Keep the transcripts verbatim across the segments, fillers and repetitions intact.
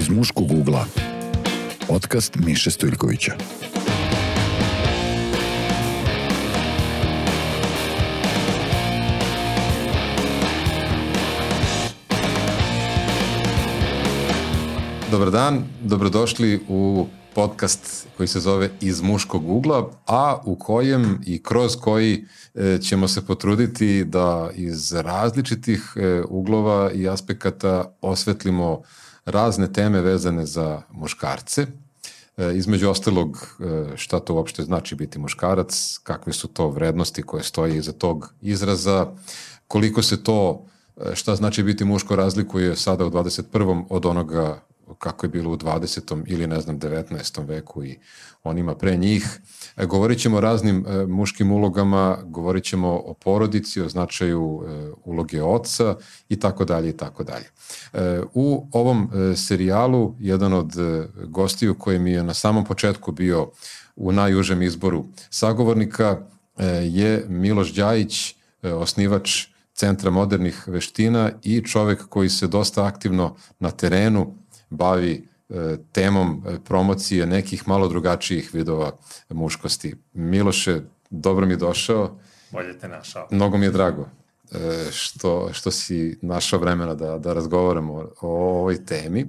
Iz muškog ugla. Podcast Miše Stojljkovića. Dobar dan, dobrodošli u podcast koji se zove Iz muškog ugla, a u kojem i kroz koji ćemo se potruditi da iz različitih uglova i aspekata osvetlimo razne teme vezane za muškarce. Između ostalog, šta to uopšte znači biti muškarac, kakve su to vrednosti koje stoje iza tog izraza, koliko se to, šta znači biti muško, razlikuje sada u dvadeset prvom od onoga kako je bilo u dvadesetom ili ne znam devetnaestom veku i onima pre njih. E, govorit ćemo o raznim e, muškim ulogama, govorit ćemo o porodici, o značaju e, uloge oca i tako dalje i tako dalje. E, u ovom e, serijalu jedan od e, gostiju koji mi je na samom početku bio u najužem izboru sagovornika e, je Miloš Đajić, e, osnivač Centra modernih veština i čovek koji se dosta aktivno na terenu bavi e, temom promocije nekih malo drugačijih vidova muškosti. Miloše, dobro mi je došao. Bolje te našao. Mnogo mi je drago e, što, što si našao vremena da, da razgovaramo o, o ovoj temi.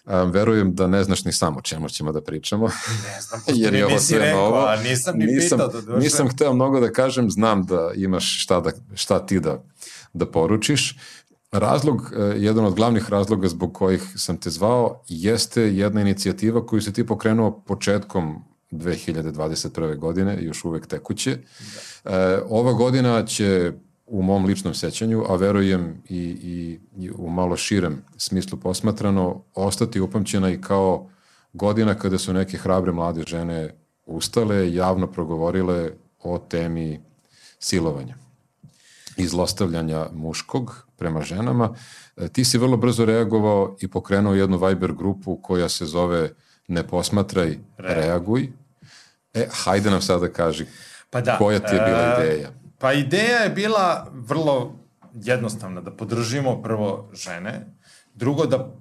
Um, verujem da ne znaš ni samo čemu ćemo da pričamo. Ne znam, pošto mi nisi rekao, a nisam ni nisam, pitao da došle. Nisam hteo mnogo da kažem, znam da imaš šta, da, šta ti da, da poručiš. Razlog, jedan od glavnih razloga zbog kojih sam te zvao jeste jedna inicijativa koju si ti pokrenuo početkom dve hiljade dvadeset prve. godine, još uvek tekuće. Da. Ova godina će u mom ličnom sećanju, a verujem i, i, i u malo širem smislu posmatrano, ostati upamćena i kao godina kada su neke hrabre mlade žene ustale, javno progovorile o temi silovanja i zlostavljanja muškog prema ženama. Ti si vrlo brzo reagovao i pokrenuo jednu Viber grupu koja se zove Ne posmatraj, reaguj. E, hajde nam sada kaži, pa da, koja ti je bila ideja? Pa ideja je bila vrlo jednostavna, da podržimo prvo žene, drugo da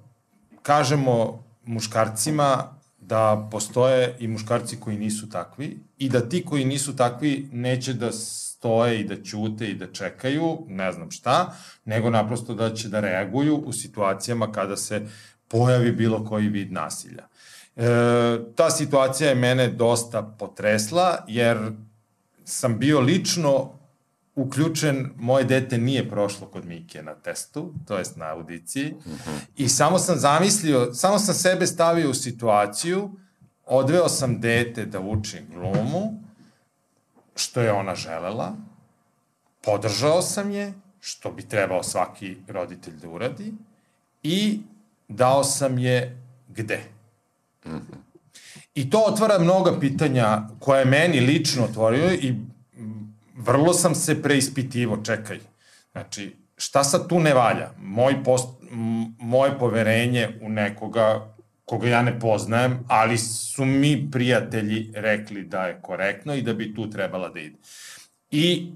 kažemo muškarcima da postoje i muškarci koji nisu takvi i da ti koji nisu takvi neće da stoje i da ćute i da čekaju, ne znam šta, nego naprosto da će da reaguju u situacijama kada se pojavi bilo koji vid nasilja. E, ta situacija je mene dosta potresla, jer sam bio lično uključen, moje dete nije prošlo kod Mike na testu, to jest na audiciji, uh-huh. i samo sam zamislio, samo sam sebe stavio u situaciju, odveo sam dete da uči glumu, što je ona želela, podržao sam je, što bi trebao svaki roditelj da uradi, i dao sam je gde. Mm-hmm. I to otvara mnoga pitanja koje meni lično otvorio i vrlo sam se preispitivo, čekaj, znači, šta sad tu ne valja? Moj post, moje poverenje u nekoga koga ja ne poznajem, ali su mi prijatelji rekli da je korektno i da bi tu trebala da ide. I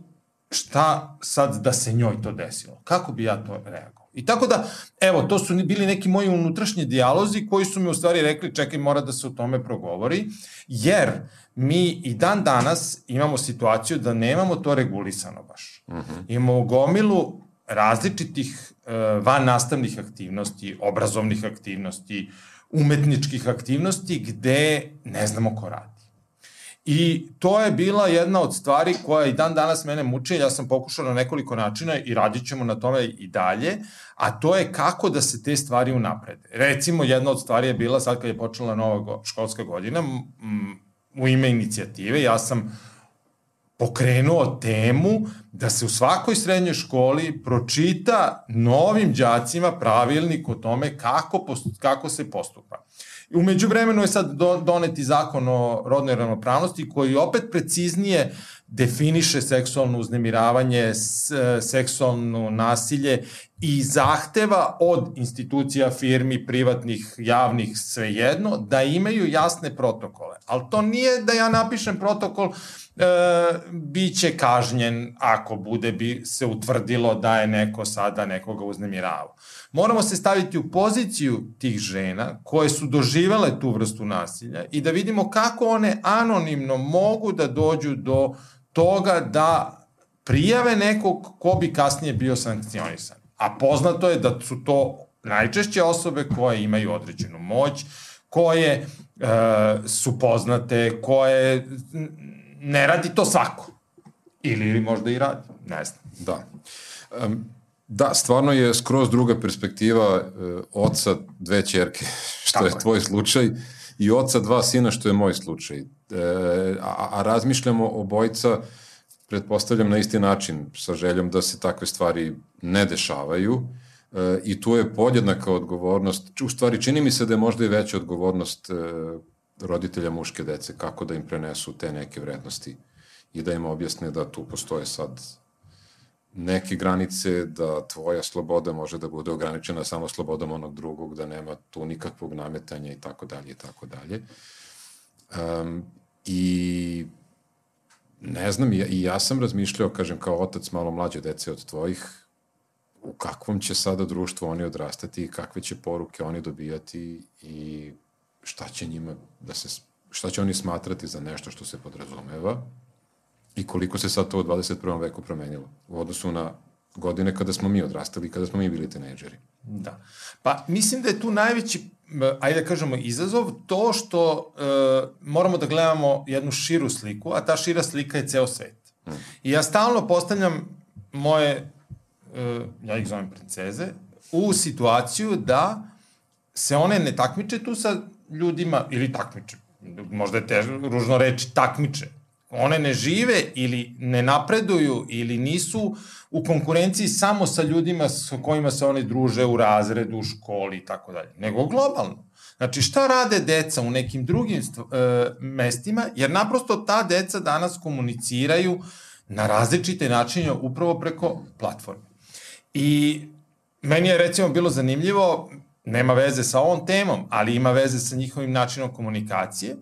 šta sad da se njoj to desilo? Kako bi ja to reagovao? I tako da, evo, to su bili neki moji unutrašnji dijalozi koji su mi u stvari rekli, čekaj, mora da se o tome progovori, jer mi i dan danas imamo situaciju da nemamo to regulisano baš. Uh-huh. Imamo gomilu različitih uh, van nastavnih aktivnosti, obrazovnih aktivnosti, umetničkih aktivnosti gde ne znamo ko radi. I to je bila jedna od stvari koja i dan danas mene muče, ja sam pokušao na nekoliko načina i radit ćemo na tome i dalje, a to je kako da se te stvari unaprede. Recimo, jedna od stvari je bila, sad kad je počela nova školska godina, m, u ime inicijative, ja sam pokrenuo temu da se u svakoj srednjoj školi pročita novim đacima pravilnik o tome kako, post, kako se postupa. U međuvremenu je sad do, doneti zakon o rodnoj ravnopravnosti koji opet preciznije definiše seksualno uznemiravanje, s, seksualno nasilje i zahteva od institucija, firmi, privatnih, javnih, svejedno, da imaju jasne protokole. Ali to nije da ja napišem protokol, e, bit će kažnjen ako bude bi se utvrdilo da je neko sada nekoga uznemiravao. Moramo se staviti u poziciju tih žena koje su doživele tu vrstu nasilja i da vidimo kako one anonimno mogu da dođu do toga da prijave nekog ko bi kasnije bio sankcionisan. A poznato je da su to najčešće osobe koje imaju određenu moć, koje e, su poznate, koje ne radi to svako. Ili možda i radi, ne znam. Da. Um, da, stvarno je skroz druga perspektiva uh, oca dve ćerke, što je, je tvoj slučaj, i oca dva sina, što je moj slučaj. E, a, a razmišljamo obojica, pretpostavljam, na isti način, sa željom da se takve stvari ne dešavaju, e, i tu je podjednaka odgovornost, u stvari čini mi se da je možda i veća odgovornost e, roditelja muške dece, kako da im prenesu te neke vrednosti i da im objasne da tu postoje sad neke granice, da tvoja sloboda može da bude ograničena samo slobodom onog drugog, da nema tu nikakvog nametanja i tako dalje i tako dalje. Um, I ne znam, i ja, i ja sam razmišljao, kažem, kao otac malo mlađe dece od tvojih, u kakvom će sada društvu oni odrastati i kakve će poruke oni dobijati i šta će njima da se, šta će oni smatrati za nešto što se podrazumeva i koliko se sad to u dvadeset prvom veku promenilo u odnosu na godine kada smo mi odrastali, kada smo mi bili tinejdžeri. Da. Pa mislim da je tu najveći, ajde da kažemo, izazov to što e, moramo da gledamo jednu širu sliku, a ta šira slika je ceo svet. Hmm. I ja stalno postavljam moje, e, ja ih zovem princeze, u situaciju da se one ne takmiče tu sa ljudima, ili takmiče, možda je težo, ružno reći takmiče. One ne žive ili ne napreduju ili nisu u konkurenciji samo sa ljudima sa kojima se one druže u razredu, u školi i tako dalje, nego globalno. Znači, šta rade deca u nekim drugim e, mestima, jer naprosto ta deca danas komuniciraju na različite načine upravo preko platforme. I meni je recimo bilo zanimljivo, nema veze sa ovom temom, ali ima veze sa njihovim načinom komunikacije.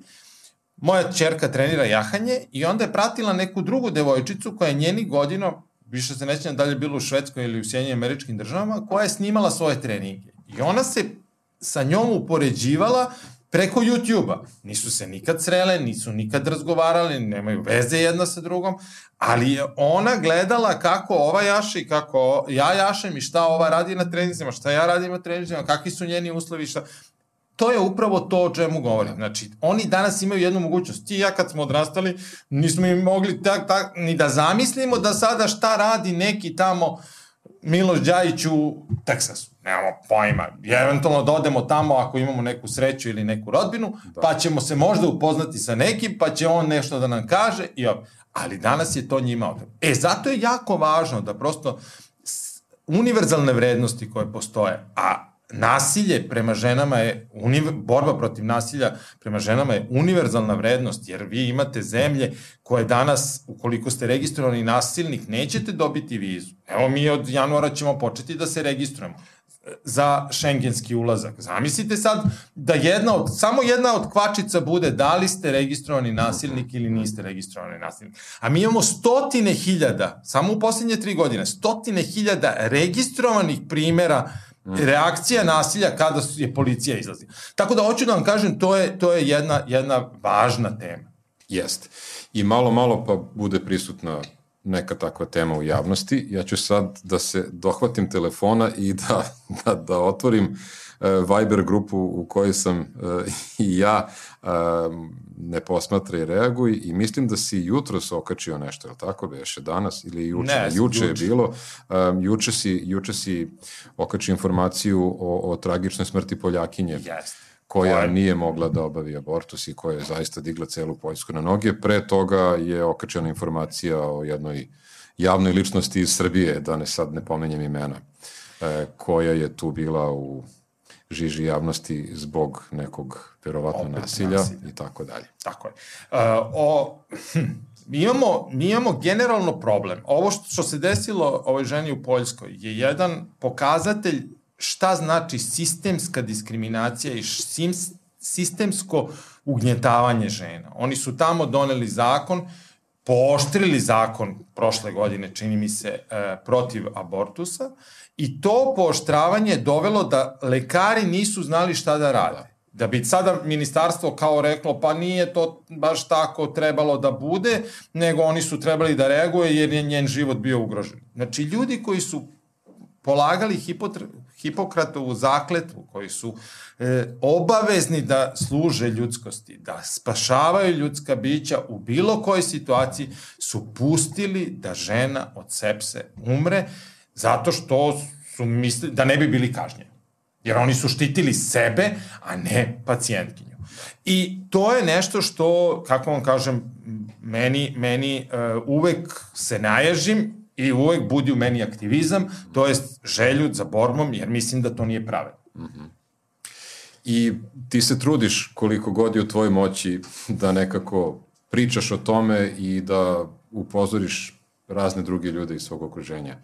Moja ćerka trenira jahanje i onda je pratila neku drugu devojčicu koja je njenih godina, više se nećem da li je bilo u Švedskoj ili u Sjedinjenim Američkim Državama, koja je snimala svoje treninge. I ona se sa njom upoređivala preko YouTube-a. Nisu se nikad srele, nisu nikad razgovarali, nemaju veze jedna sa drugom, ali je ona gledala kako ova jaše i kako ja jašem i šta ova radi na treninzima, šta ja radim na treninzima, kakvi su njeni uslovi, šta... To je upravo to o čemu govorim. Znači, oni danas imaju jednu mogućnost. Ti i ja kad smo odrastali, nismo im mogli tak, tak, ni da zamislimo da sada šta radi neki tamo Miloš Đajić u Teksasu. Nemamo pojma. Eventualno da odemo tamo ako imamo neku sreću ili neku rodbinu, da. Pa ćemo se možda upoznati sa nekim, pa će on nešto da nam kaže. I op. Ali danas je to njima odredno. E, zato je jako važno da prosto univerzalne vrednosti koje postoje, a nasilje prema ženama je, borba protiv nasilja prema ženama je univerzalna vrednost, jer vi imate zemlje koje danas, ukoliko ste registrovani nasilnik, nećete dobiti vizu. Evo, mi od januara ćemo početi da se registrujemo za šengenski ulazak. Zamislite sad da jedna od, samo jedna od kvačica bude da li ste registrovani nasilnik ili niste registrovani nasilnik. A mi imamo stotine hiljada, samo u posljednje tri godine, stotine hiljada registrovanih primera reakcija nasilja kada je policija izlazi. Tako da hoću da vam kažem, to je, to je jedna, jedna važna tema. Jeste. I malo, malo pa bude prisutna neka takva tema u javnosti. Ja ću sad da se dohvatim telefona i da, da, da otvorim uh, Viber grupu u kojoj sam uh, i ja uh, ne posmatra i reaguj i mislim da si jutros okačio nešto, je li tako beše danas ili juče? Ne, juče je bilo. Um, juče, si, juče si okačio informaciju o, o tragičnoj smrti Poljakinje. Jeste. Koja je... nije mogla da obavi abortus i koja je zaista digla celu Poljsku na noge. Pre toga je okačena informacija o jednoj javnoj ličnosti iz Srbije, da ne sad ne pomenjem imena, e, koja je tu bila u žiži javnosti zbog nekog verovatno Opet nasilja, nasilja i tako dalje. Tako je. Uh, o, hm, mi, imamo, mi imamo generalno problem. Ovo što, što se desilo ovoj ženi u Poljskoj je jedan pokazatelj šta znači sistemska diskriminacija i sims, sistemsko ugnjetavanje žena. Oni su tamo doneli zakon, pooštrili zakon prošle godine, čini mi se, e, protiv abortusa, i to pooštravanje je dovelo da lekari nisu znali šta da rade. Da bi sada ministarstvo kao reklo, pa nije to baš tako trebalo da bude, nego oni su trebali da reaguje jer je njen život bio ugrožen. Znači, ljudi koji su polagali Hipotre, Hipokratovu zakletvu, koji su e, obavezni da služe ljudskosti, da spašavaju ljudska bića u bilo kojoj situaciji, su pustili da žena od sepse umre zato što su mislili da ne bi bili kažnjeni. Jer oni su štitili sebe, a ne pacijentkinju. I to je nešto što, kako vam kažem, meni, meni uh, uvek se naježim i uvek budi u meni aktivizam, to jest želju za borbom, jer mislim da to nije pravedno. Mm-hmm. I ti se trudiš koliko god je u tvojoj moći da nekako pričaš o tome i da upozoriš razne druge ljude iz svog okruženja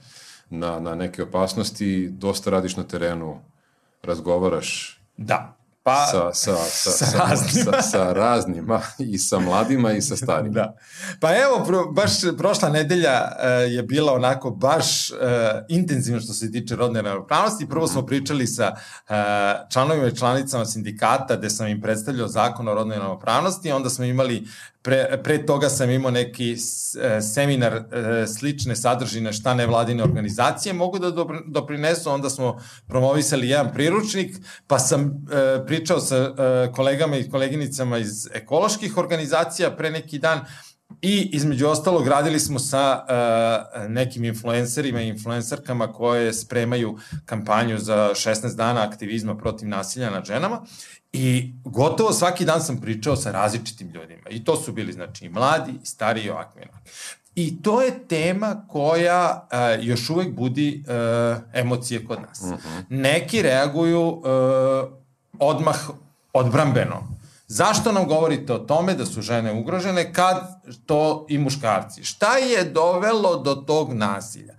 na, na neke opasnosti, dosta radiš na terenu, razgovaraš da. Pa, sa, sa, sa, sa, sa, raznima. sa, sa raznima i sa mladima i sa starima. Da. Pa evo, pro, baš prošla nedelja uh, je bila onako baš uh, intenzivno što se tiče rodne ravnopravnosti. Prvo smo pričali sa uh, članovima i članicama sindikata gde sam im predstavljao zakon o rodnoj ravnopravnosti, onda smo imali Pre, pre toga sam imao neki seminar e, slične sadržine šta nevladine organizacije mogu da doprinesu, onda smo promovisali jedan priručnik, pa sam e, pričao sa e, kolegama i koleginicama iz ekoloških organizacija pre neki dan i između ostalog radili smo sa e, nekim influencerima i influencerkama koje spremaju kampanju za šesnaest dana aktivizma protiv nasilja nad ženama. I gotovo svaki dan sam pričao sa različitim ljudima. I to su bili, znači, i mladi, i stariji, i ovakvi. I to je tema koja uh, još uvek budi uh, emocije kod nas. Uh-huh. Neki reaguju uh, odmah odbrambeno. Zašto nam govorite o tome da su žene ugrožene kad to i muškarci? Šta je dovelo do tog nasilja?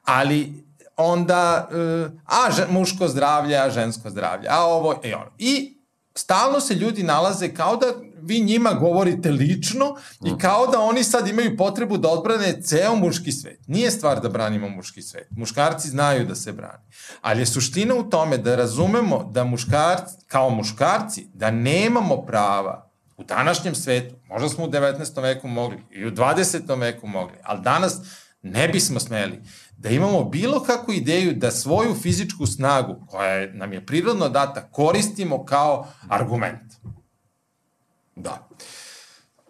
Ali onda, uh, a žen, muško zdravlje, a žensko zdravlje, a ovo i ono. I stalno se ljudi nalaze kao da vi njima govorite lično i kao da oni sad imaju potrebu da odbrane ceo muški svet. Nije stvar da branimo muški svet. Muškarci znaju da se brani. Ali je suština u tome da razumemo da muškarci, kao muškarci, da nemamo prava u današnjem svetu. Možda smo u devetnaestom veku mogli i u dvadesetom veku mogli, ali danas ne bismo smeli da imamo bilo kakvu ideju da svoju fizičku snagu, koja nam je prirodno data, koristimo kao argument. Da.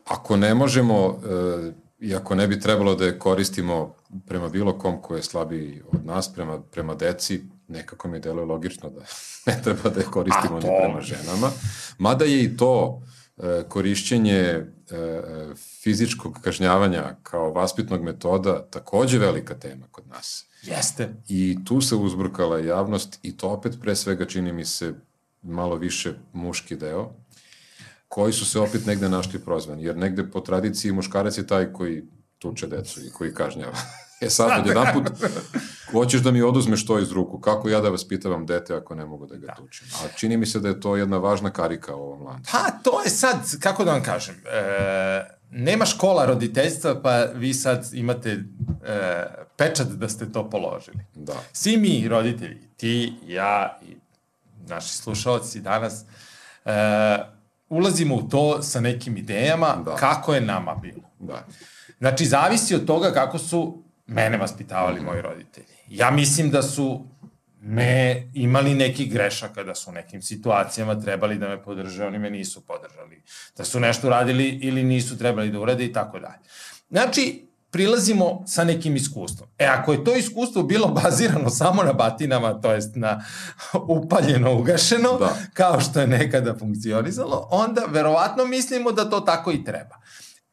Ako ne možemo, e, i ako ne bi trebalo da je koristimo prema bilo kom ko je slabiji od nas, prema, prema deci, nekako mi deluje logično da ne treba da je koristimo ni prema ženama. Mada je i to e, korišćenje e, fizičkog kažnjavanja kao vaspitnog metoda takođe velika tema kod nas. Jeste. I tu se uzburkala javnost i to opet pre svega čini mi se malo više muški deo, koji su se opet negde našli prozvani, jer negde po tradiciji muškarac je taj koji tuče decu i koji kažnjava. E sad, od jedan put, hoćeš da mi oduzmeš to iz ruku, kako ja da vas pitavam dete ako ne mogu da ga da. tučem? A čini mi se da je to jedna važna karika u ovom lancu. Pa, to je sad, kako da vam kažem, e, nema škola roditeljstva, pa vi sad imate e, pečat da ste to položili. Da. Svi mi roditelji, ti, ja i naši slušalci danas, e, ulazimo u to sa nekim idejama da. kako je nama bilo. Da. Znači, zavisi od toga kako su mene vaspitavali mm-hmm. moji roditelji. Ja mislim da su me imali nekih grešaka, da su u nekim situacijama trebali da me podrže, oni me nisu podržali. Da su nešto radili ili nisu trebali da urade i tako dalje. Znači, prilazimo sa nekim iskustvom. E, ako je to iskustvo bilo bazirano samo na batinama, to jest na upaljeno, ugašeno, da. kao što je nekada funkcionizalo, onda verovatno mislimo da to tako i treba.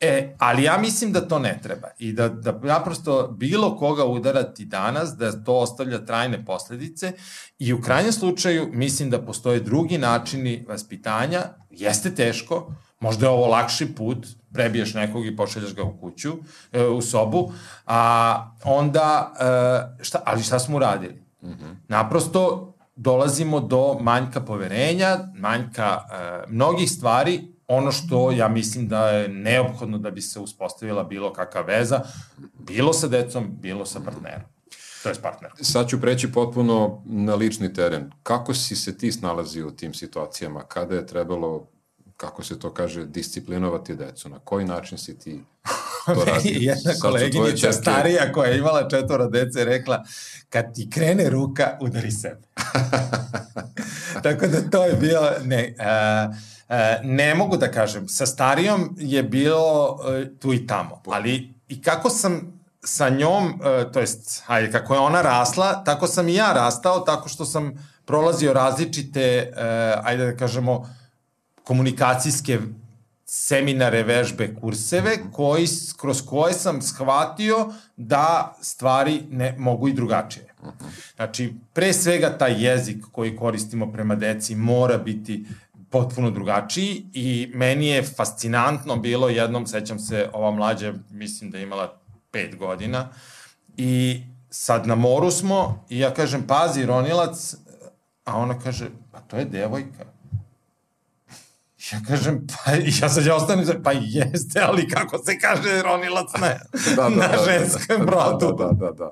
E, ali ja mislim da to ne treba i da, da naprosto bilo koga udarati danas, da to ostavlja trajne posledice i u krajnjem slučaju mislim da postoje drugi načini vaspitanja, jeste teško, možda je ovo lakši put, prebiješ nekog i pošaljaš ga u kuću, u sobu, a onda, šta, ali šta smo uradili? Mm-hmm. Naprosto dolazimo do manjka poverenja, manjka mnogih stvari, ono što ja mislim da je neophodno da bi se uspostavila bilo kakva veza, bilo sa decom, bilo sa partnerom. To je s partnerom. Sad ću preći potpuno na lični teren. Kako si se ti snalazio u tim situacijama? Kada je trebalo, kako se to kaže, disciplinovati decu? Na koji način si ti to radio? Jedna koleginica čerke... starija koja je imala četvora dece rekla, kad ti krene ruka, udari sebe. Tako da to je bilo... Ne, uh, Uh, ne mogu da kažem, sa starijom je bilo uh, tu i tamo, ali i kako sam sa njom, uh, to jest, hajde, kako je ona rasla, tako sam i ja rastao, tako što sam prolazio različite, uh, ajde da kažemo, komunikacijske seminare, vežbe, kurseve, koji, kroz koje sam shvatio da stvari ne mogu i drugačije. Znači, pre svega taj jezik koji koristimo prema deci mora biti potpuno drugačiji i meni je fascinantno bilo jednom, sećam se, ova mlađa, mislim da je imala pet godina i sad na moru smo i ja kažem, pazi, ronilac, a ona kaže, pa to je devojka. Ja kažem, pa ja sad ja ostanem, pa jeste, ali kako se kaže ronilac na, da, da, na da, ženskom da, brodu. Da, da, da, da.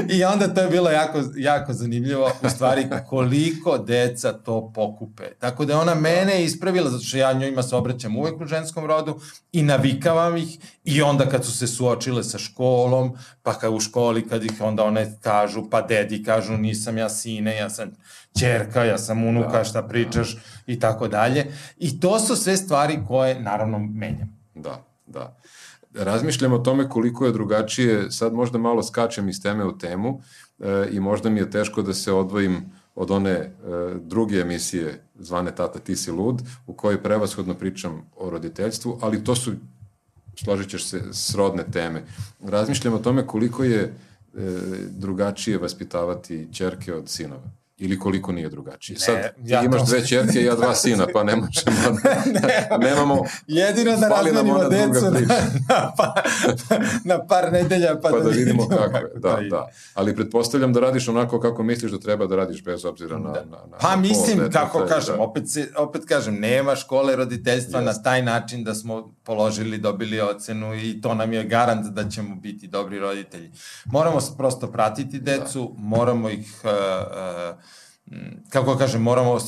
I onda to je bilo jako, jako zanimljivo, u stvari koliko deca to pokupe. Tako da je ona mene ispravila, zato što ja njojima se obraćam uvek u ženskom rodu i navikavam ih i onda kad su se suočile sa školom, pa kad u školi kad ih onda one kažu, pa dedi kažu nisam ja sine, ja sam ćerka, ja sam unuka, šta pričaš i tako dalje. I to su sve stvari koje naravno menjam. Da, da. Razmišljam o tome koliko je drugačije, sad možda malo skačem iz teme u temu e, i možda mi je teško da se odvojim od one e, druge emisije zvane Tata ti si lud, u kojoj prevashodno pričam o roditeljstvu, ali to su, složit ćeš se, srodne teme. Razmišljam o tome koliko je e, drugačije vaspitavati ćerke od sinova. Ili koliko nije drugačije. Ne, Sad, ti ja imaš to... dve ćerke i ja dva sina, pa ne možemo... ne, nemamo... Jedino da razmenimo decu na, na, pa, na par nedelja, pa, pa da, da vidimo kako je. Da, da, da. Ali pretpostavljam da radiš onako kako misliš da treba da radiš, bez obzira na... Da. na, na pa na mislim, pol, kako da, kažem, da. opet, se, opet kažem, nema škole roditeljstva yes. na taj način da smo položili, dobili ocenu i to nam je garant da ćemo biti dobri roditelji. Moramo prosto pratiti decu, da. moramo ih... Uh, uh, kako kažem, moramo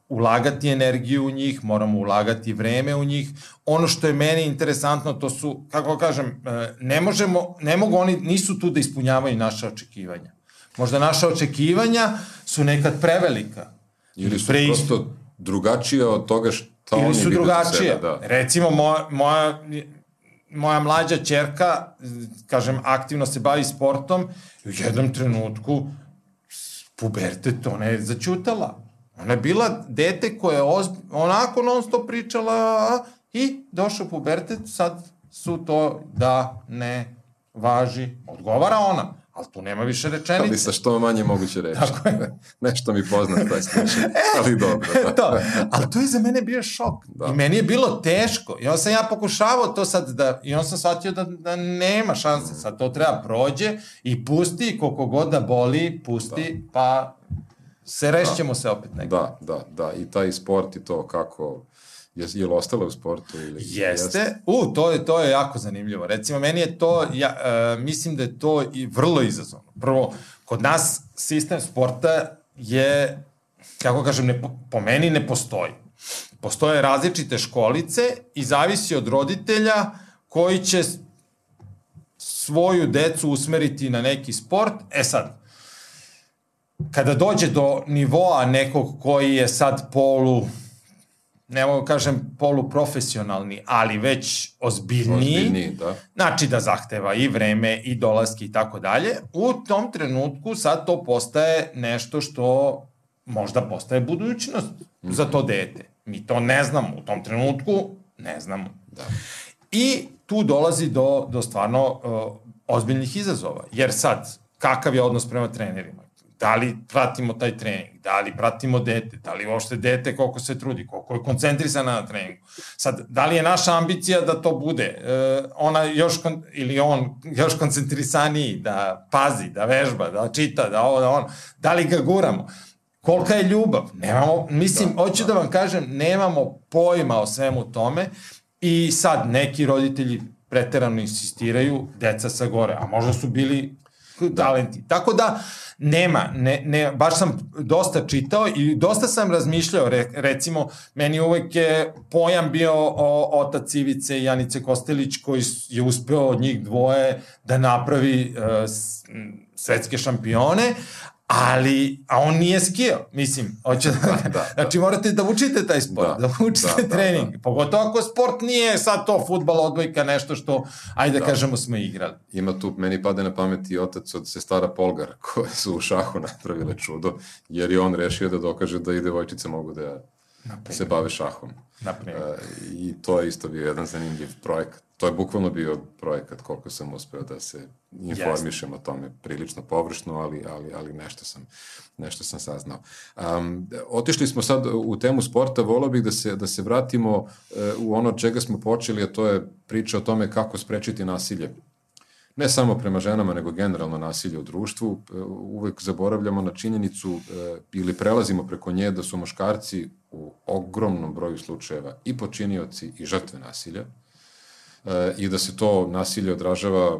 ulagati energiju u njih, moramo ulagati vreme u njih. Ono što je meni interesantno, to su, kako kažem, ne možemo, ne mogu oni, nisu tu da ispunjavaju naše očekivanja. Možda naša očekivanja su nekad prevelika. Ili su Pre... prosto drugačije od toga šta oni Ili su drugačije. Sebe, da. Recimo, moja, moja, moja mlađa ćerka, kažem, aktivno se bavi sportom i u jednom trenutku pubertet, ona je začutala. Ona je bila dete koja je ozb... onako non stop pričala i došao pubertet, sad su to da, ne, važi. Odgovara ona, ali tu nema više rečenice. Ali sa što manje moguće reći. Nešto mi poznat taj slučaj, ali dobro. Da. To, ali to je za mene bio šok. Da. I meni je bilo teško. I onda sam ja pokušavao to sad da, i onda sam shvatio da, da nema šanse. Sad to treba prođe i pusti, koliko god da boli, pusti, da. Pa se rešćemo da. Se opet nekako. Da, da, da. I taj sport i to kako... Je, je li ostalo u sportu? Ili, jeste. jeste. U, to je, to je jako zanimljivo. Recimo, meni je to, ja, uh, mislim da je to i vrlo izazovno. Prvo, kod nas sistem sporta je, kako kažem, ne, po meni ne postoji. Postoje različite školice i zavisi od roditelja koji će svoju decu usmeriti na neki sport. E sad, kada dođe do nivoa nekog koji je sad polu, ne mogu kažem poluprofesionalni, ali već ozbiljniji, ozbiljniji da. Znači da zahteva i vreme i dolaski i tako dalje, u tom trenutku sad to postaje nešto što možda postaje budućnost za to dete. Mi to ne znamo, u tom trenutku ne znamo. Da. I tu dolazi do, do stvarno uh, ozbiljnih izazova. Jer sad, kakav je odnos prema trenerima? Da li pratimo taj trening? Da li pratimo dete? Da li uopšte dete koliko se trudi? Koliko je koncentrisana na treningu? Sad, da li je naša ambicija da to bude? Uh, ona još, kon, ili on još koncentrisaniji, da pazi, da vežba, da čita, da ovo, da ono. Da li ga guramo? Kolika je ljubav? Nemamo, mislim, da, hoću da. da vam kažem, nemamo pojma o svemu tome i sad neki roditelji preterano insistiraju, deca sa gore, a možda su bili talenti. Tako da, nema, ne, ne, baš sam dosta čitao i dosta sam razmišljao, re, recimo, meni uvek je pojam bio o, otac Ivice i Janice Kostelić, koji je uspeo od njih dvoje da napravi uh, svetske šampione, ali, a on nije skijao, mislim, hoće da, da, da, znači morate da učite taj sport, da, da učite da, trening, da, da. Pogotovo ako sport nije sad to fudbal, odbojka, nešto što, ajde da, da kažemo, smo igrali. Ima tu, meni pade na pamet i otac od sestara Polgar, koje su u šahu napravile čudo, jer je on rešio da dokaže da i devojčice mogu da Naprimjer. se bave šahom. Naprimjer. Uh, I to je isto bio jedan zanimljiv projekat. To je bukvalno bio projekat koliko sam uspeo da se informišem o tome, prilično površno, ali, ali, ali nešto, sam, nešto sam saznao. Um, otišli smo sad u temu sporta, volao bih da se, da se vratimo uh, u ono čega smo počeli, a to je priča o tome kako sprečiti nasilje. Ne samo prema ženama, nego generalno nasilje u društvu. Uh, uvek zaboravljamo na činjenicu uh, ili prelazimo preko nje da su muškarci u ogromnom broju slučajeva i počinioci i žrtve nasilja. E, i da se to nasilje odražava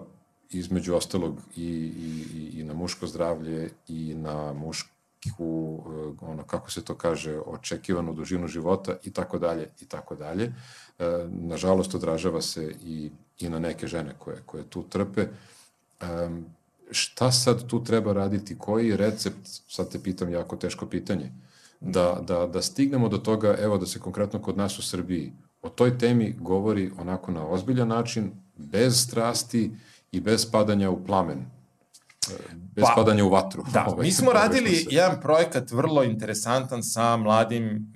između ostalog i, i, i na muško zdravlje i na mušku, ono, kako se to kaže, očekivanu dužinu života i tako dalje i tako dalje. E, nažalost, odražava se i, i na neke žene koje, koje tu trpe. E, šta sad tu treba raditi? Koji je recept? Sad te pitam jako teško pitanje. Da, da, da stignemo do toga, evo da se konkretno kod nas u Srbiji o toj temi govori onako na ozbiljan način, bez strasti i bez padanja u plamen, bez pa, padanja u vatru. Da, ovaj, mi smo radili se... jedan projekat vrlo interesantan sa mladim,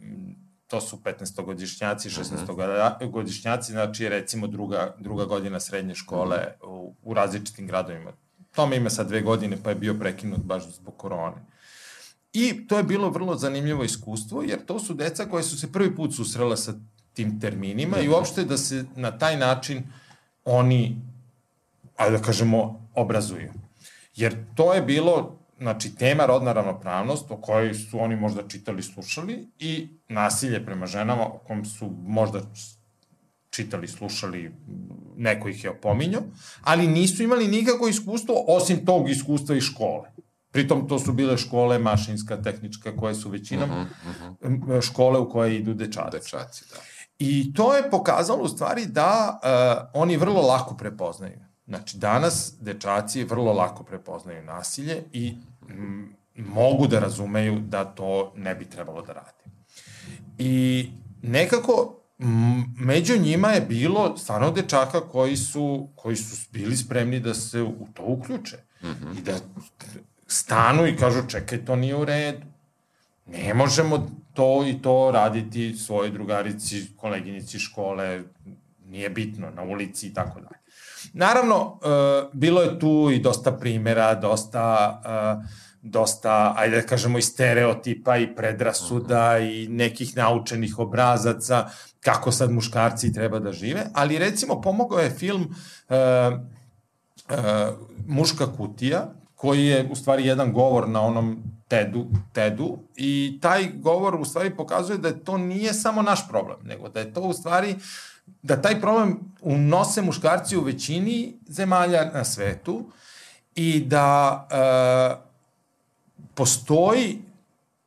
to su petnaestogodišnjaci, šesnaestogodišnjaci, znači recimo druga, druga godina srednje škole u, u različitim gradovima. Tome ima sad dve godine pa je bio prekinut baš zbog korone. I to je bilo vrlo zanimljivo iskustvo, jer to su deca koje su se prvi put susrela sa tim terminima i uopšte da se na taj način oni, ajde da kažemo, obrazuju. Jer to je bilo, znači, tema rodna ravnopravnost o kojoj su oni možda čitali, slušali i nasilje prema ženama o kom su možda čitali, slušali, neko ih je opominjao, ali nisu imali nikako iskustvo osim tog iskustva iz škole. Pritom to su bile škole mašinska, tehnička, koje su većinom uh-huh, uh-huh. škole u koje idu dečaci. Dečaci, da. I to je pokazalo u stvari da uh, oni vrlo lako prepoznaju. Znači, danas dečaci vrlo lako prepoznaju nasilje i m, mogu da razumeju da to ne bi trebalo da radi. I nekako m, među njima je bilo stvarno dečaka koji su, koji su bili spremni da se u to uključe. Uh-huh. I da stanu i kažu, čekaj, to nije u redu. Ne možemo to i to raditi svojoj drugarici, koleginici škole, nije bitno, na ulici i tako dalje. Naravno, e, bilo je tu i dosta primjera, dosta, e, dosta, ajde da kažemo, i stereotipa i predrasuda i nekih naučenih obrazaca, kako sad muškarci treba da žive, ali recimo pomogao je film e, e, Muška kutija, koji je u stvari jedan govor na onom TED-u, TED-u i taj govor u stvari pokazuje da to nije samo naš problem, nego da je to u stvari, da taj problem unose muškarci u većini zemalja na svetu i da e, postoji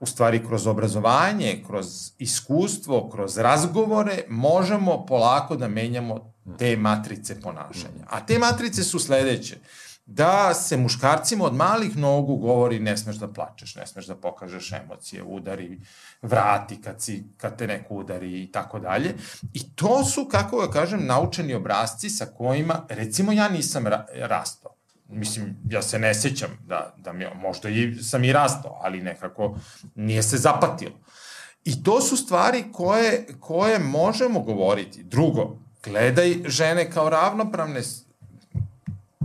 u stvari kroz obrazovanje, kroz iskustvo, kroz razgovore, možemo polako da menjamo te matrice ponašanja. A te matrice su sledeće. Da se muškarcima od malih nogu govori ne smeš da plačeš, ne smeš da pokažeš emocije, udari, vrati kad, si, kad te neko udari i tako dalje. I to su, kako ga kažem, naučeni obrazci sa kojima, recimo ja nisam ra rastao. Mislim, ja se ne sjećam da, da mi, možda i, sam i rastao, ali nekako nije se zapatilo. I to su stvari koje, koje možemo govoriti. Drugo, gledaj žene kao ravnopravne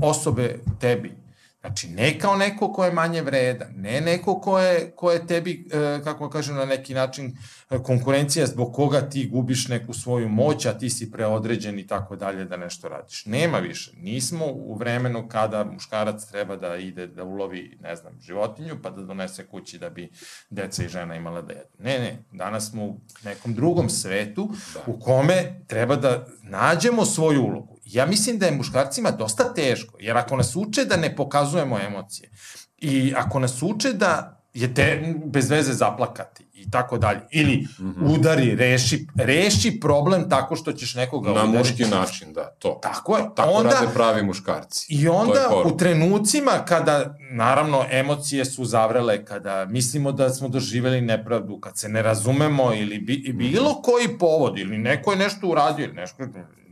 osobe tebi. Znači, ne kao neko ko je manje vredan, ne neko ko je, ko je tebi, kako kažem, na neki način konkurencija zbog koga ti gubiš neku svoju moć, a ti si preodređen i tako dalje da nešto radiš. Nema više. Nismo u vremenu kada muškarac treba da ide da ulovi, ne znam, životinju, pa da donese kući da bi deca i žena imala da jedu. Ne, ne. Danas smo u nekom drugom svetu u kome treba da nađemo svoju ulogu. Ja mislim da je muškarcima dosta teško, jer ako nas uče da ne pokazujemo emocije i ako nas uče da je te bez veze zaplakati i tako dalje, ili mm-hmm. udari, reši, reši problem tako što ćeš nekoga na udariti. Na muški način, da, to. Tako je. Tako onda, rade pravi muškarci. I onda u trenucima kada, naravno, emocije su zavrele, kada mislimo da smo doživeli nepravdu, kad se ne razumemo ili bi, bilo koji povod, ili neko je nešto uradio, ili nešto...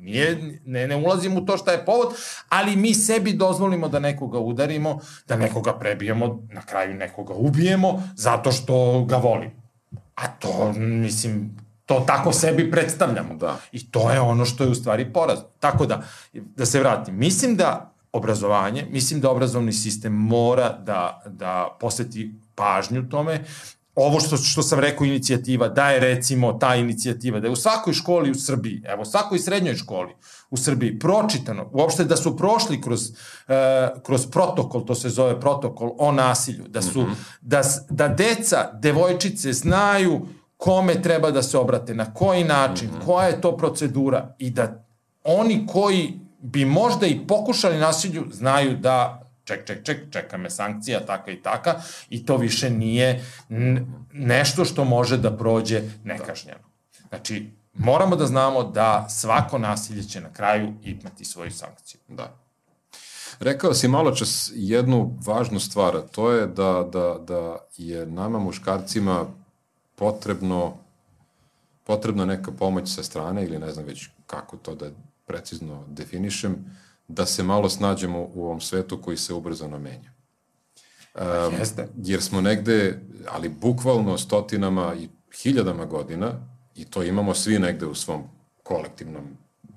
Nije, ne, ne ulazim u to šta je povod, ali mi sebi dozvolimo da nekoga udarimo, da nekoga prebijemo, na kraju nekoga ubijemo, zato što ga volimo. A to, mislim, to tako sebi predstavljamo. Da. I to je ono što je u stvari porazno. Tako da, da se vratim, mislim da obrazovanje, mislim da obrazovni sistem mora da, da posveti pažnju tome. Ovo što, što sam rekao, inicijativa, da je recimo ta inicijativa, da je u svakoj školi u Srbiji, evo, svakoj srednjoj školi u Srbiji pročitano, uopšte da su prošli kroz, uh, kroz protokol, to se zove protokol o nasilju, da su, mm-hmm. da, da deca, devojčice znaju kome treba da se obrate, na koji način, mm-hmm. koja je to procedura i da oni koji bi možda i pokušali nasilju znaju da ček, ček, ček, čeka me sankcija, taka i taka, i to više nije nešto što može da prođe nekažnjeno. Znači, moramo da znamo da svako nasilje će na kraju imati svoju sankciju. Da. Rekao si malo čas jednu važnu stvar, a to je da, da, da je nama muškarcima potrebno, potrebna neka pomoć sa strane, ili ne znam već kako to da precizno definišem, da se malo snađemo u ovom svetu koji se ubrzano menja. Um, Jeste. Jer smo negde, ali bukvalno stotinama i hiljadama godina, i to imamo svi negde u svom kolektivnom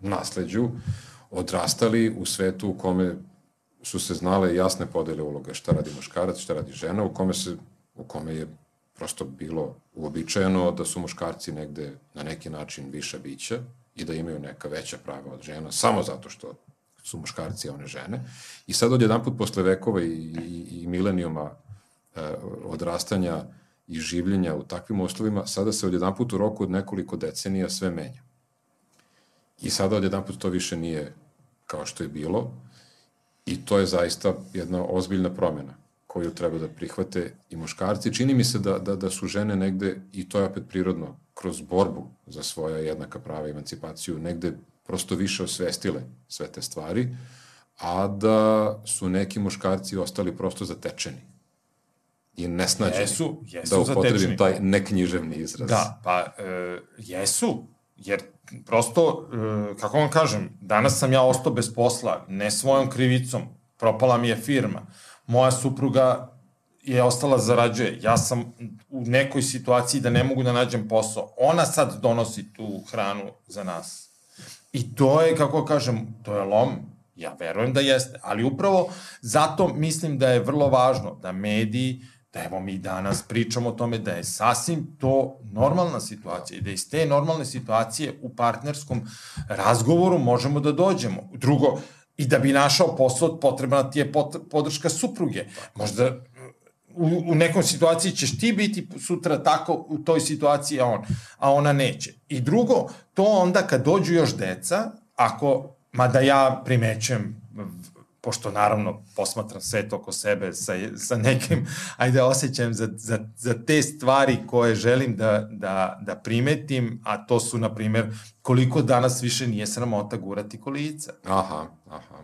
nasleđu, odrastali u svetu u kome su se znale jasne podele uloga, šta radi muškarac, šta radi žena, u kome, se, u kome je prosto bilo uobičajeno da su muškarci negde na neki način viša bića i da imaju neka veća prava od žena, samo zato što su muškarci, a one žene. I sad odjedanput posle vekova i, i, i milenijuma e, odrastanja i življenja u takvim uslovima, sada se odjedanput u roku od nekoliko decenija sve menja. I sada odjedanput to više nije kao što je bilo, i to je zaista jedna ozbiljna promjena koju treba da prihvate i muškarci. Čini mi se da, da, da su žene negde, i to je opet prirodno, kroz borbu za svoja jednaka prava i emancipaciju, negde prosto više osvestile sve te stvari, a da su neki muškarci ostali prosto zatečeni i nesnađeni. Jesu, jesu da upotrebim zatečeni. Taj neknjiževni izraz. Da, pa e, jesu, jer prosto, e, kako vam kažem, danas sam ja ostao bez posla, ne svojom krivicom, propala mi je firma, moja supruga je ostala zarađuje, ja sam u nekoj situaciji da ne mogu da nađem posao, ona sad donosi tu hranu za nas. I to je, kako kažem, to je lom, ja verujem da jeste, ali upravo zato mislim da je vrlo važno da mediji, da evo mi danas pričamo o tome da je sasvim to normalna situacija i da iz te normalne situacije u partnerskom razgovoru možemo da dođemo. Drugo, i da bi našao posao, potrebna ti je podrška supruge. Možda u, u nekom situaciji ćeš ti biti sutra tako u toj situaciji, a, on, a ona neće. I drugo, to onda kad dođu još deca, ako, mada ja primećujem, pošto naravno posmatram svet oko sebe sa, sa nekim, ajde, osjećajem za, za, za te stvari koje želim da, da, da primetim, a to su, na primjer, koliko danas više nije sramota gurati kolica. Aha, aha.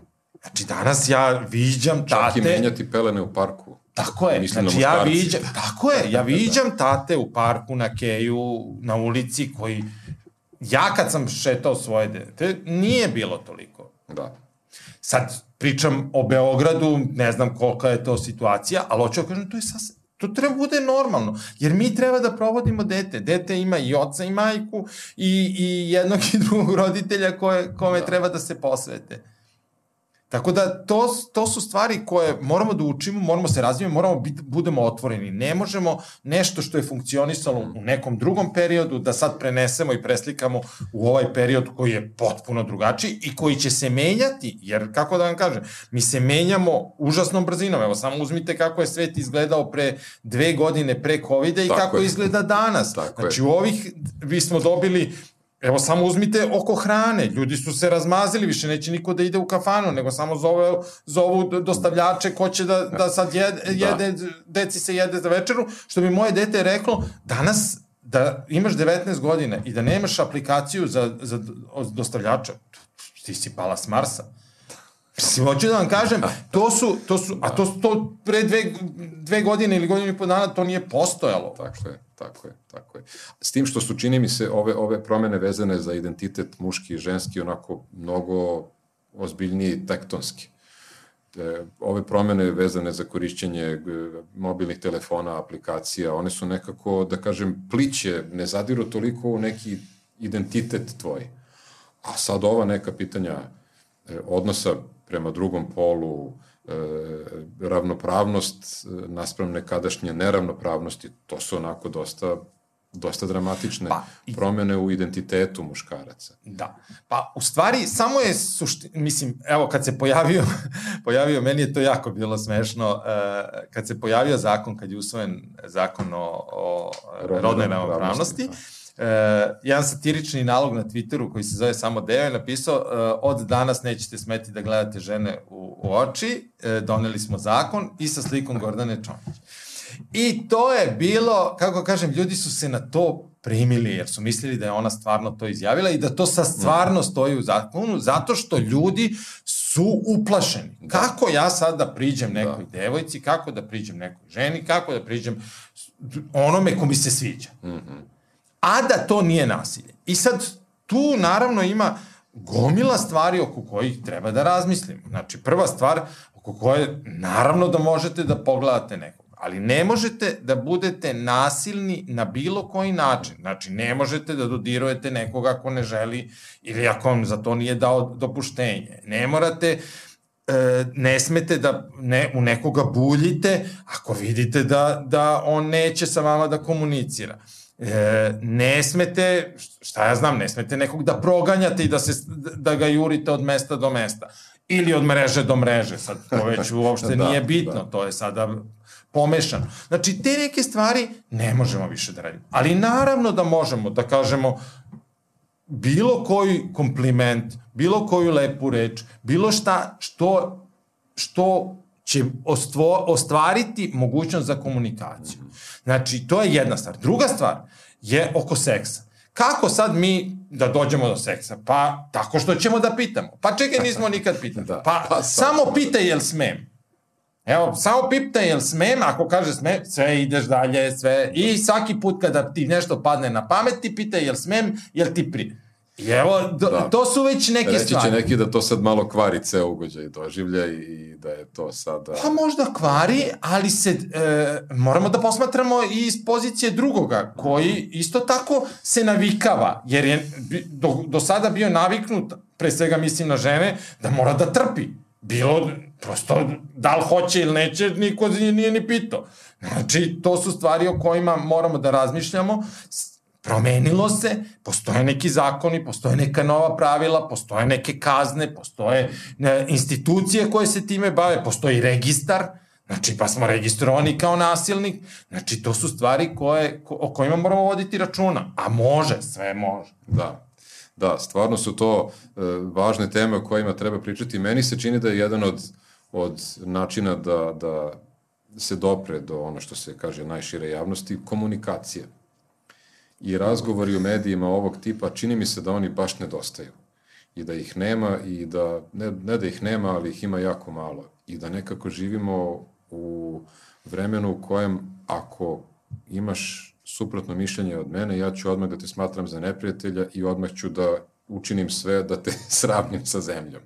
Znači, danas ja viđam tate... Čak i menjati pelene u parku. Tako je, Mislim znači ja viđam, tako je, ja viđam tate u parku, na keju, na ulici, koji, ja kad sam šetao svoje dete, nije bilo toliko. Da. Sad pričam o Beogradu, ne znam kolika je to situacija, ali hoću da kažem, to je sasvim, To treba bude normalno, jer mi treba da provodimo dete. Dete ima i oca i majku i, i jednog i drugog roditelja koje, kome da. treba da se posvete. Tako da to, to su stvari koje moramo da učimo, moramo se razvijemo, moramo biti, budemo otvoreni. Ne možemo nešto što je funkcionisalo u nekom drugom periodu da sad prenesemo i preslikamo u ovaj period koji je potpuno drugačiji i koji će se menjati, jer kako da vam kažem, mi se menjamo užasnom brzinom. Evo, samo uzmite kako je svet izgledao pre dve godine pre kovida i tako kako je. izgleda danas. Tako znači, je. u ovih, vi smo dobili... Evo, samo uzmite oko hrane. Ljudi su se razmazili, više neće niko da ide u kafanu, nego samo zove, zovu dostavljače ko će da, da sad jede, jede da. deci se jede za večeru. Što bi moje dete reklo, danas da imaš devetnaest godina i da nemaš aplikaciju za, za dostavljača, ti si pala s Marsa. Mislim, hoću da vam kažem, to su, to su, a to, to pre dve, dve godine ili godinu i po dana to nije postojalo. Tako je, tako je, tako je. S tim što su, čini mi se, ove, ove promene vezane za identitet muški i ženski onako mnogo ozbiljniji i tektonski. E, ove promene vezane za korišćenje mobilnih telefona, aplikacija, one su nekako, da kažem, pliće, ne zadiru toliko u neki identitet tvoj. A sad ova neka pitanja e, odnosa prema drugom polu, e, ravnopravnost naspram nekadašnje neravnopravnosti, to su onako dosta, dosta dramatične pa, promene u identitetu muškaraca. Da. Pa, u stvari, samo je suština, mislim, evo, kad se pojavio, pojavio, meni je to jako bilo smešno, e, kad se pojavio zakon, kad je usvojen zakon o, o rodnoj ravnopravnosti, Uh, jedan satirični nalog na Twitteru koji se zove Samo Deo je napisao uh, od danas nećete smeti da gledate žene u, u oči, uh, doneli smo zakon i sa slikom Gordane Čomić. I to je bilo, kako kažem, ljudi su se na to primili jer su mislili da je ona stvarno to izjavila i da to sa stvarno stoji u zakonu, zato što ljudi su uplašeni. Da. Kako ja sad da priđem nekoj da. devojci, kako da priđem nekoj ženi, kako da priđem onome ko mi se sviđa. Mhm. A da to nije nasilje. I sad tu naravno ima gomila stvari oko kojih treba da razmislimo. Znači, prva stvar oko koje naravno da možete da pogledate nekog, ali ne možete da budete nasilni na bilo koji način. Znači, ne možete da dodirujete nekoga ako ne želi ili ako vam za to nije dao dopuštenje. Ne morate... ne smete da ne, u nekoga buljite ako vidite da, da on neće sa vama da komunicira. E, ne smete, šta ja znam, ne smete nekog da proganjate i da, se, da ga jurite od mesta do mesta. Ili od mreže do mreže, sad to već uopšte da, nije bitno, da. To je sada pomešano. Znači, te neke stvari ne možemo više da radimo. Ali naravno da možemo da kažemo bilo koji kompliment, bilo koju lepu reč, bilo šta što, što će ostvo, ostvariti mogućnost za komunikaciju. Znači, to je jedna stvar. Druga stvar je oko seksa. Kako sad mi da dođemo do seksa? Pa, tako što ćemo da pitamo. Pa čekaj, nismo nikad pitali. Da, pa, pa samo pitaj jel smem. Evo, samo pitaj jel smem, ako kaže smem, sve ideš dalje, sve. I svaki put kada ti nešto padne na pamet, ti pitaj jel smem, jel ti pri... I evo, do, da. To su već neke Reći stvari. Reći će neki da to sad malo kvari ceo ugođaj doživlja i da je to sada... Pa možda kvari, ali se e, moramo da posmatramo i iz pozicije drugoga, koji isto tako se navikava, jer je do, do sada bio naviknut, pre svega mislim na žene, da mora da trpi. Bilo, prosto, da li hoće ili neće, niko nije ni pitao. Znači, to su stvari o kojima moramo da razmišljamo. Promenilo se, postoje neki zakoni, postoje neka nova pravila, postoje neke kazne, postoje ne, institucije koje se time bave, postoji registar, znači pa smo registrovani kao nasilnik, znači to su stvari koje, ko, o kojima moramo voditi računa, a može, sve može. Da, da, stvarno su to e, važne teme o kojima treba pričati. Meni se čini da je jedan od, od načina da, da se dopre do ono što se kaže najšire javnosti, komunikacija. I razgovori u medijima ovog tipa, čini mi se da oni baš nedostaju. I da ih nema, i da, ne, ne da ih nema, ali ih ima jako malo. I da nekako živimo u vremenu u kojem ako imaš suprotno mišljenje od mene, ja ću odmah da te smatram za neprijatelja i odmah ću da učinim sve da te sravnim sa zemljom.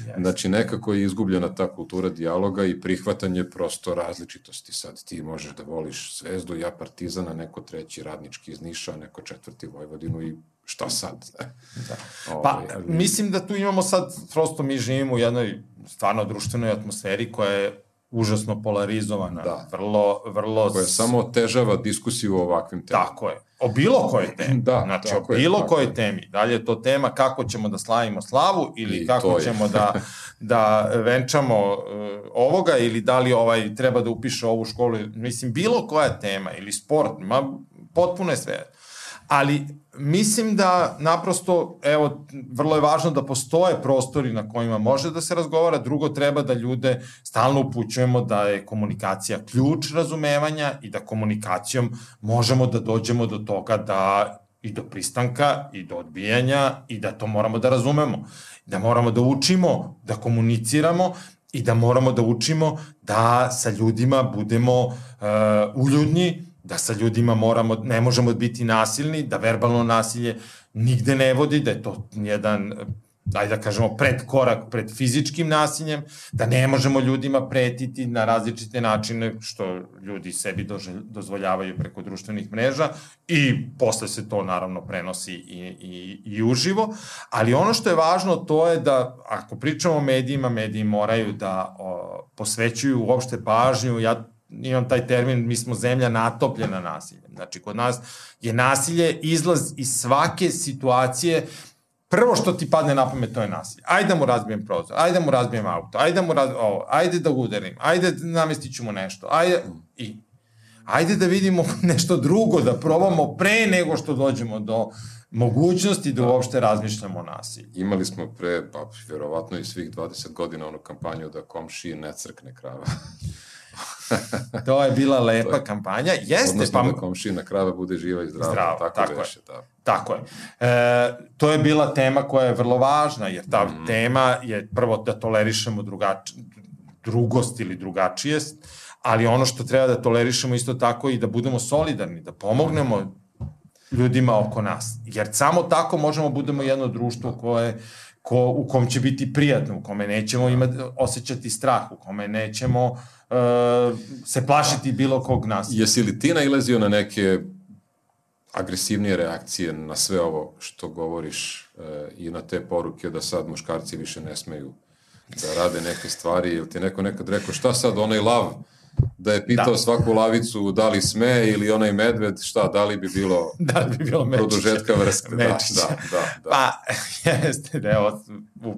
Yes. Znači, nekako je izgubljena ta kultura dijaloga i prihvatanje prosto različitosti. Sad ti možeš da voliš Zvezdu, ja Partizana, neko treći radnički iz Niša, neko četvrti Vojvodinu i šta sad? Da. Pa, ovaj, ali... mislim da tu imamo sad, prosto mi živimo u jednoj stvarno društvenoj atmosferi koja je užasno polarizovana, da. vrlo, vrlo... Koja samo otežava diskusiju o ovakvim temama. Tako je. O bilo kojoj temi. Da, znači, o bilo kojoj temi. Da li je to tema kako ćemo da slavimo slavu ili I kako ćemo da, da venčamo uh, ovoga ili da li ovaj treba da upiše ovu školu. Mislim, bilo koja tema ili sport, ma, potpuno je sve. Ali mislim da naprosto, evo, vrlo je važno da postoje prostori na kojima može da se razgovara, drugo treba da ljude stalno upućujemo da je komunikacija ključ razumevanja i da komunikacijom možemo da dođemo do toga da i do pristanka i do odbijanja i da to moramo da razumemo, da moramo da učimo, da komuniciramo i da moramo da učimo da sa ljudima budemo uh, uljudnji, da sa ljudima moramo, ne možemo biti nasilni, da verbalno nasilje nigde ne vodi, da je to jedan, daj da kažemo, predkorak pred fizičkim nasiljem, da ne možemo ljudima pretiti na različite načine, što ljudi sebi dozvoljavaju preko društvenih mreža i posle se to naravno prenosi i, i, i uživo, ali ono što je važno to je da, ako pričamo o medijima, mediji moraju da o, posvećuju uopšte pažnju, ja imam taj termin, mi smo zemlja natopljena nasiljem. Znači, kod nas je nasilje izlaz iz svake situacije, prvo što ti padne na pamet, to je nasilje. Ajde da mu razbijem prozor, ajde da mu razbijem auto, ajde da mu razbijem ovo, ajde da udarim, ajde da namestit ću mu nešto, ajde, i, ajde da vidimo nešto drugo, da probamo pre nego što dođemo do mogućnosti da uopšte razmišljamo o nasilju. Imali smo pre, pa, vjerovatno i svih dvadeset godina onu kampanju da komšiji ne crkne krava. To je bila lepa je, kampanja. Jeste, odnosno pa, da komšina krava bude živa i zdrava. Zdravo, tako, tako veše, je. Da. Tako je. E, to je bila tema koja je vrlo važna, jer ta mm. tema je prvo da tolerišemo drugač, drugost ili drugačijest, ali ono što treba da tolerišemo isto tako i da budemo solidarni, da pomognemo ljudima oko nas. Jer samo tako možemo budemo jedno društvo koje ko, u kom će biti prijatno, u kome nećemo imati, osjećati strah, u kome nećemo uh, se plašiti bilo kog nasilja. Jesi li ti nailazio na neke agresivnije reakcije na sve ovo što govoriš uh, i na te poruke da sad muškarci više ne smeju da rade neke stvari, ili ti neko nekad rekao šta sad onaj lav da je pitao da. svaku lavicu da li sme ili onaj medved, šta, da li bi bilo, da li bi bilo produžetka vrste. Da, da, da, da. Pa, jeste, da evo, u,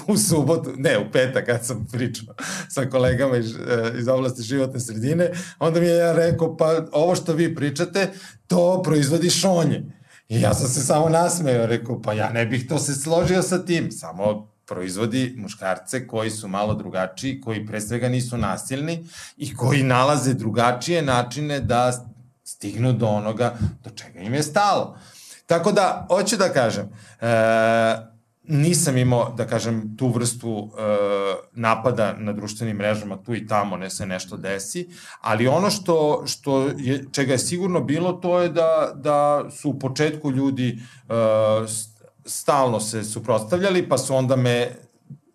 u subotu, ne, u petak, kad sam pričao sa kolegama iz, iz oblasti životne sredine, onda mi je ja rekao, pa ovo što vi pričate, to proizvodi šonje. I ja sam se samo nasmeo, rekao, pa ja ne bih to se složio sa tim, samo proizvodi muškarce koji su malo drugačiji, koji pre svega nisu nasilni i koji nalaze drugačije načine da stignu do onoga do čega im je stalo. Tako da, hoću da kažem, e, nisam imao, da kažem, tu vrstu e, napada na društvenim mrežama, tu i tamo ne se nešto desi, ali ono što, što je, čega je sigurno bilo, to je da, da su u početku ljudi e, stalno se suprotstavljali, pa su onda me,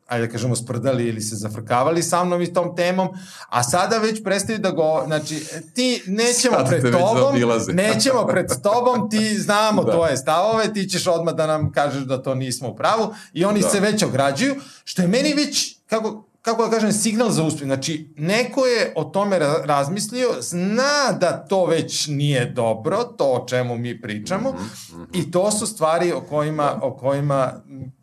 ajde da kažemo, sprdali ili se zafrkavali sa mnom i tom temom, a sada već prestaju da go, znači, ti nećemo sad pred tobom, nećemo pred tobom, ti znamo da. tvoje stavove, ti ćeš odmah da nam kažeš da to nismo u pravu i oni da. se već ograđuju, što je meni već, kako, kako da kažem, signal za uspjeh. Znači, neko je o tome razmislio, zna da to već nije dobro, to o čemu mi pričamo, mm-hmm, mm-hmm. i to su stvari o kojima, o kojima,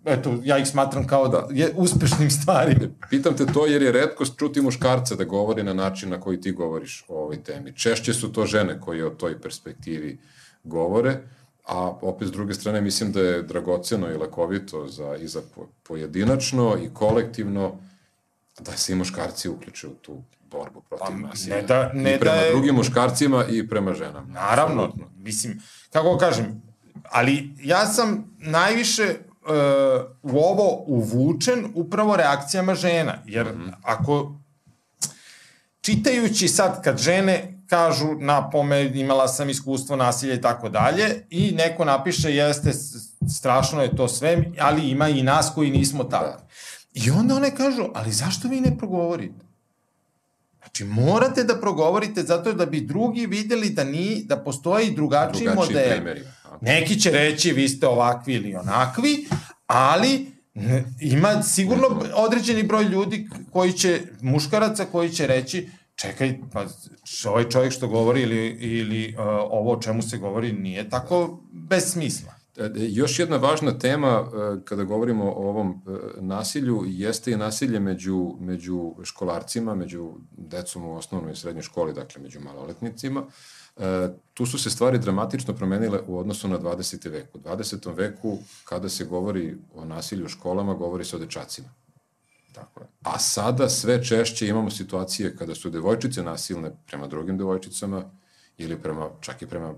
eto, ja ih smatram kao da je uspešnim stvarima. Pitam te to jer je retkost čuti muškarce da govori na način na koji ti govoriš o ovoj temi. Češće su to žene koje o toj perspektivi govore, a opet s druge strane mislim da je dragoceno i lekovito za, i za pojedinačno i kolektivno da se i muškarci uključe u tu borbu protiv pa, nasilja. Ne da, ne I prema da je... drugim muškarcima i prema ženama. Naravno, absolutno. Mislim, kako kažem, ali ja sam najviše uh, u ovo uvučen upravo reakcijama žena, jer mm-hmm. ako čitajući sad kad žene kažu na pome imala sam iskustvo nasilja i tako dalje i neko napiše jeste strašno je to sve, ali ima i nas koji nismo tako. Da. I onda one kažu, ali zašto vi ne progovorite? Znači, morate da progovorite zato da bi drugi videli da ni, da postoji i drugačiji, drugačiji model. Primjeri. Neki će reći, vi ste ovakvi ili onakvi, ali ima sigurno određeni broj ljudi koji će, muškaraca koji će reći, čekaj, pa ovaj čovjek što govori ili, ili uh, ovo o čemu se govori nije tako bez smisla. Još jedna važna tema kada govorimo o ovom nasilju jeste i nasilje među, među školarcima, među decom u osnovnoj i srednjoj školi, dakle među maloletnicima. Tu su se stvari dramatično promenile u odnosu na dvadeseti vek. U dvadesetom veku, kada se govori o nasilju u školama, govori se o dečacima. Tako je. A sada sve češće imamo situacije kada su devojčice nasilne prema drugim devojčicama ili prema, čak i prema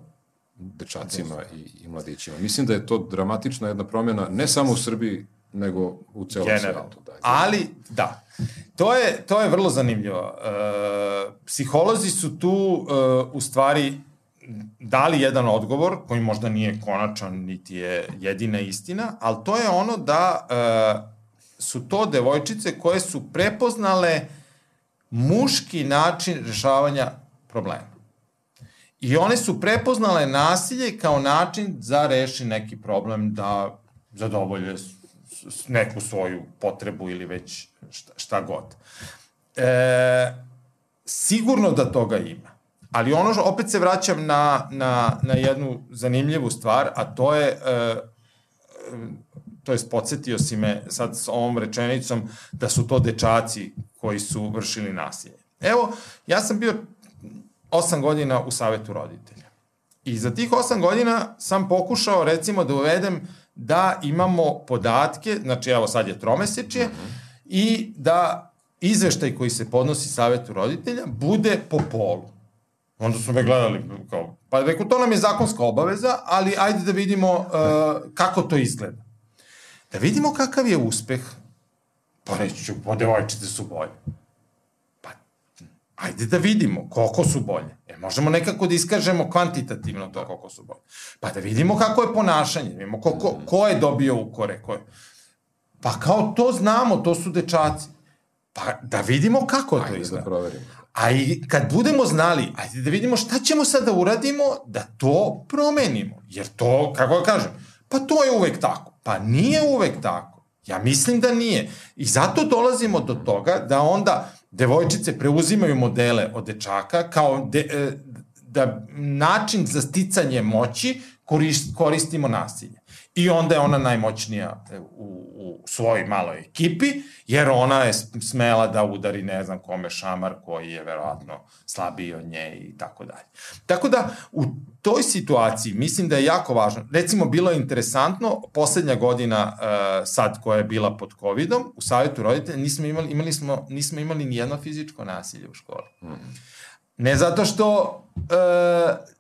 dečacima i, i mladićima. Mislim da je to dramatična jedna promjena, ne samo u Srbiji, nego u celom svijetu. Da, ali, da, to je, to je vrlo zanimljivo. E, psiholozi su tu e, u stvari dali jedan odgovor koji možda nije konačan, niti je jedina istina, ali to je ono da e, su to devojčice koje su prepoznale muški način rešavanja problema. I one su prepoznale nasilje kao način za reši neki problem, da zadovolje neku svoju potrebu ili već šta, šta god. E, sigurno da toga ima. Ali ono što, opet se vraćam na, na, na jednu zanimljivu stvar, a to je, e, to je podsjetio si me sad s ovom rečenicom da su to dečaci koji su vršili nasilje. Evo, ja sam bio osam godina u savetu roditelja. I za tih osam godina sam pokušao, recimo, da uvedem da imamo podatke, znači evo sad je tromesečje, mm-hmm. i da izveštaj koji se podnosi savetu roditelja bude po polu. Onda su me gledali kao, pa reku, to nam je zakonska obaveza, ali ajde da vidimo uh, kako to izgleda. Da vidimo kakav je uspeh, pa reći ću, po devojčice su bolje. Ajde da vidimo koliko su bolje. Jer možemo nekako da iskažemo kvantitativno to koliko su bolje. Pa da vidimo kako je ponašanje, da vidimo koliko, ko je dobio ukore. Ko je. Pa kao to znamo, to su dečaci. Pa da vidimo kako to izgleda. Ajde da proverimo. A i kad budemo znali, ajde da vidimo šta ćemo sad da uradimo da to promenimo. Jer to, kako da kažem, pa to je uvek tako. Pa nije uvek tako. Ja mislim da nije. I zato dolazimo do toga da onda devojčice preuzimaju modele od dečaka kao de, da način za sticanje moći korist, koristimo nasilje. I onda je ona najmoćnija u, u svojoj maloj ekipi, jer ona je smela da udari ne znam kome šamar koji je verovatno slabiji od nje i tako dalje. Tako da u toj situaciji mislim da je jako važno. Recimo, bilo je interesantno, poslednja godina uh, sad koja je bila pod covidom, u savjetu roditelja nismo imali, imali smo, nismo imali nijedno fizičko nasilje u školi. Mm. Ne zato što e,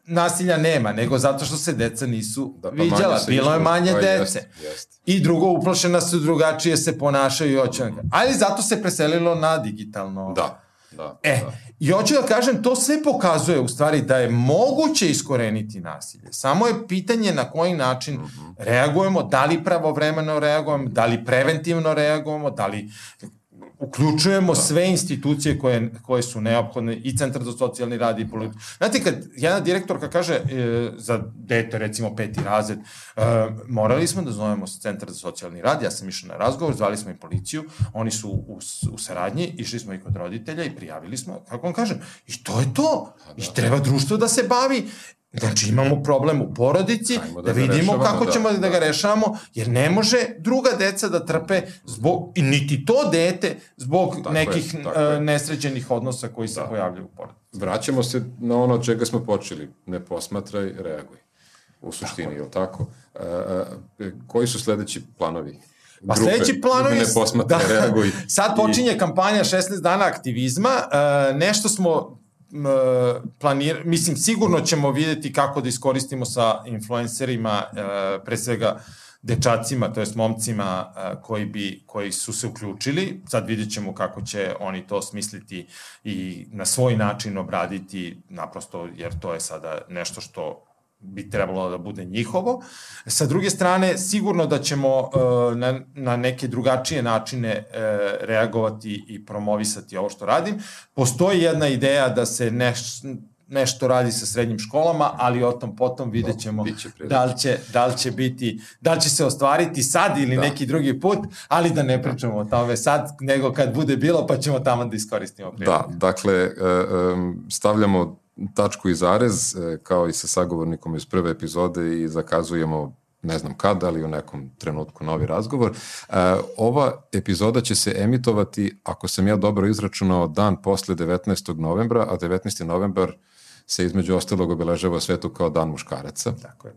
nasilja nema, nego zato što se deca nisu da, pa viđala. Bilo je manje dece. Jest, jest. I drugo, uplašena su, drugačije se ponašaju i hoće. Mm. Ali zato se preselilo na digitalno. Da, da. E, da. I hoću da kažem, to sve pokazuje u stvari da je moguće iskoreniti nasilje. Samo je pitanje na koji način mm-hmm. reagujemo, da li pravovremeno reagujemo, da li preventivno reagujemo, da li uključujemo sve institucije koje, koje su neophodne, i Centar za socijalni rad i politiku. Znate, kad jedna direktorka kaže e, za dete, recimo peti razred, e, morali smo da zovemo Centar za socijalni rad, ja sam išao na razgovor, zvali smo i policiju, oni su u, u saradnji, išli smo i kod roditelja i prijavili smo, kako vam kažem, i to je to. I treba društvo da se bavi. Znači, imamo problem u porodici, da, da vidimo kako da, ćemo da, da ga rešavamo, jer ne može druga deca da trpe zbog, i niti to dete, zbog tako nekih je, uh, nesređenih odnosa koji se da. pojavljaju u porodici. Vraćamo se na ono od čega smo počeli. Ne posmatraj, reaguj. U suštini, tako. Je li tako? Uh, uh, koji su sledeći planovi? Pa grupe, sledeći planovi... Ne posmatraj, da, reaguj. Sad počinje i... kampanja šesnaest dana aktivizma. Uh, nešto smo... planir, mislim, sigurno ćemo vidjeti kako da iskoristimo sa influencerima, pre svega dečacima, to jest momcima koji, bi, koji su se uključili. Sad vidjet ćemo kako će oni to smisliti i na svoj način obraditi, naprosto jer to je sada nešto što bi trebalo da bude njihovo. Sa druge strane, sigurno da ćemo uh, na, na neke drugačije načine uh, reagovati i promovisati ovo što radim. Postoji jedna ideja da se neš, nešto radi sa srednjim školama, ali o tom potom vidjet ćemo da li će, da li će biti, da li će se ostvariti sad ili da. neki drugi put, ali da ne pričamo o tome sad, nego kad bude bilo, pa ćemo tamo da iskoristimo priliku. Da, dakle, stavljamo tačku i zarez, kao i sa sagovornikom iz prve epizode i zakazujemo ne znam kada, ali u nekom trenutku novi razgovor. Ova epizoda će se emitovati, ako sam ja dobro izračunao, dan posle devetnaestog novembra, a devetnaesti novembar se između ostalog obeležava u svetu kao dan muškaraca. Tako je.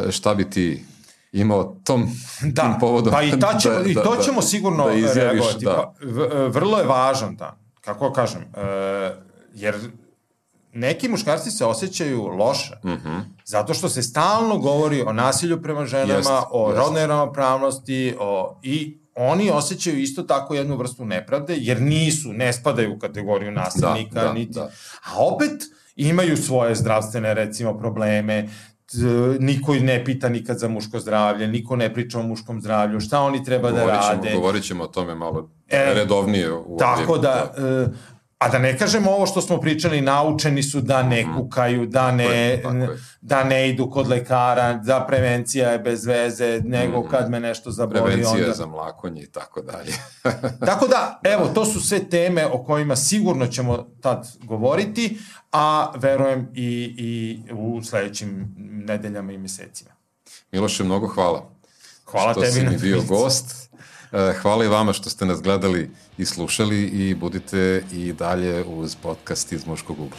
E, šta bi ti imao tom, da, tim povodom? Pa i, ta ćemo, da, i to da, ćemo sigurno da izjaviš, reagovati. Da. Pa, v, vrlo je važan dan, kako kažem, e, jer neki muškarci se osjećaju loše, mm-hmm. zato što se stalno govori o nasilju prema ženama, jest, o jest. rodnoj ravnopravnosti, o, i oni osjećaju isto tako jednu vrstu nepravde, jer nisu, ne spadaju u kategoriju nasilnika, da, da, niti, da. a opet imaju svoje zdravstvene, recimo, probleme, niko ne pita nikad za muško zdravlje, niko ne priča o muškom zdravlju, šta oni treba govorit ćemo, da rade. Govorit ćemo o tome malo e, redovnije. U tako ovdje, da... da. A da ne kažemo ovo što smo pričali, naučeni su da ne kukaju, da ne, tako je, tako je. da ne idu kod lekara, da prevencija je bez veze, nego mm-hmm. kad me nešto zaboli. Prevencija onda... za mlakonje i tako dalje. Tako da, evo, to su sve teme o kojima sigurno ćemo tad govoriti, a verujem i, i u sledećim nedeljama i mesecima. Miloše, mnogo hvala. Hvala što tebi. Što si mi bio gost. Hvala i vama što ste nas gledali i slušali i budite i dalje uz podcast iz Muškog ugla.